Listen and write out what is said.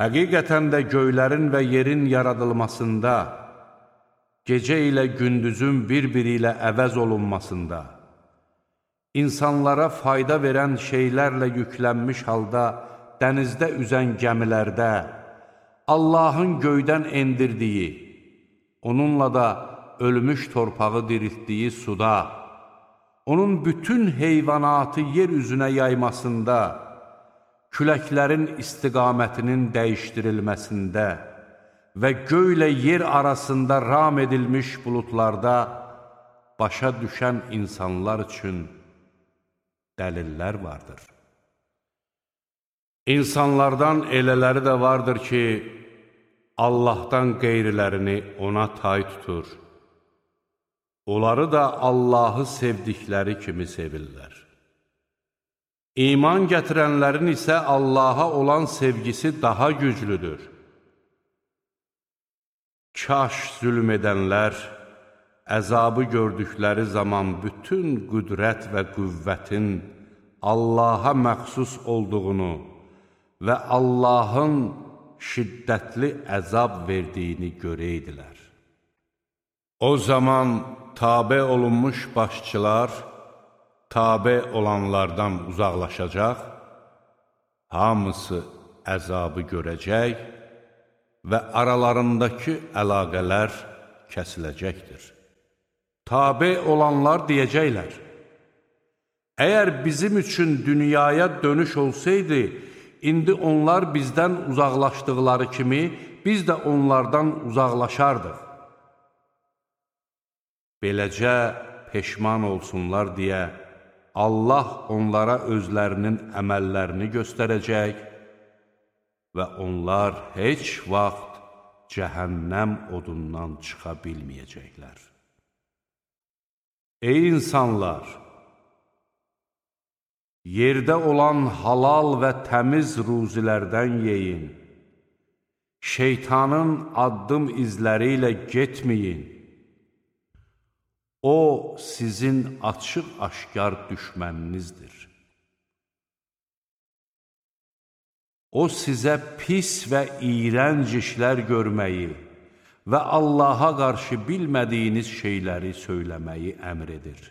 Həqiqətən də göylərin və yerin yaradılmasında, gecə ilə gündüzün bir-biri ilə əvəz olunmasında, insanlara fayda verən şeylərlə yüklənmiş halda dənizdə üzən gəmilərdə, Allahın göydən endirdiyi, onunla da ölmüş torpağı diriltdiyi suda, onun bütün heyvanatı yer üzünə yaymasında, küləklərin istiqamətinin dəyişdirilməsində və göylə yer arasında ram edilmiş buludlarda başa düşən insanlar üçün dəlillər vardır. İnsanlardan elələri də vardır ki, Allahdan qeyrilərini ona tay tutur. Onları da Allahı sevdikləri kimi sevirlər. İman gətirənlərin isə Allaha olan sevgisi daha güclüdür. Kaş zülm edənlər, əzabı gördükləri zaman bütün qüdrət və qüvvətin Allaha məxsus olduğunu və Allahın şiddətli əzab verdiyini görəydilər. O zaman tabe olunmuş başçılar, tabe olanlardan uzaqlaşacaq, hamısı əzabı görəcək və aralarındakı əlaqələr kəsiləcəkdir. Tabe olanlar deyəcəklər, əgər bizim üçün dünyaya dönüş olsaydı, indi onlar bizdən uzaqlaşdıqları kimi, biz də onlardan uzaqlaşardıq. Beləcə peşman olsunlar deyə, Allah onlara özlərinin əməllərini göstərəcək və onlar heç vaxt cəhənnəm odundan çıxa bilməyəcəklər. Ey insanlar! Yerdə olan halal və təmiz ruzilərdən yeyin. Şeytanın addım izləri ilə getməyin. O, sizin açıq-aşkar düşməninizdir. O, sizə pis və iyrənc işlər görməyi və Allaha qarşı bilmədiyiniz şeyləri söyləməyi əmr edir.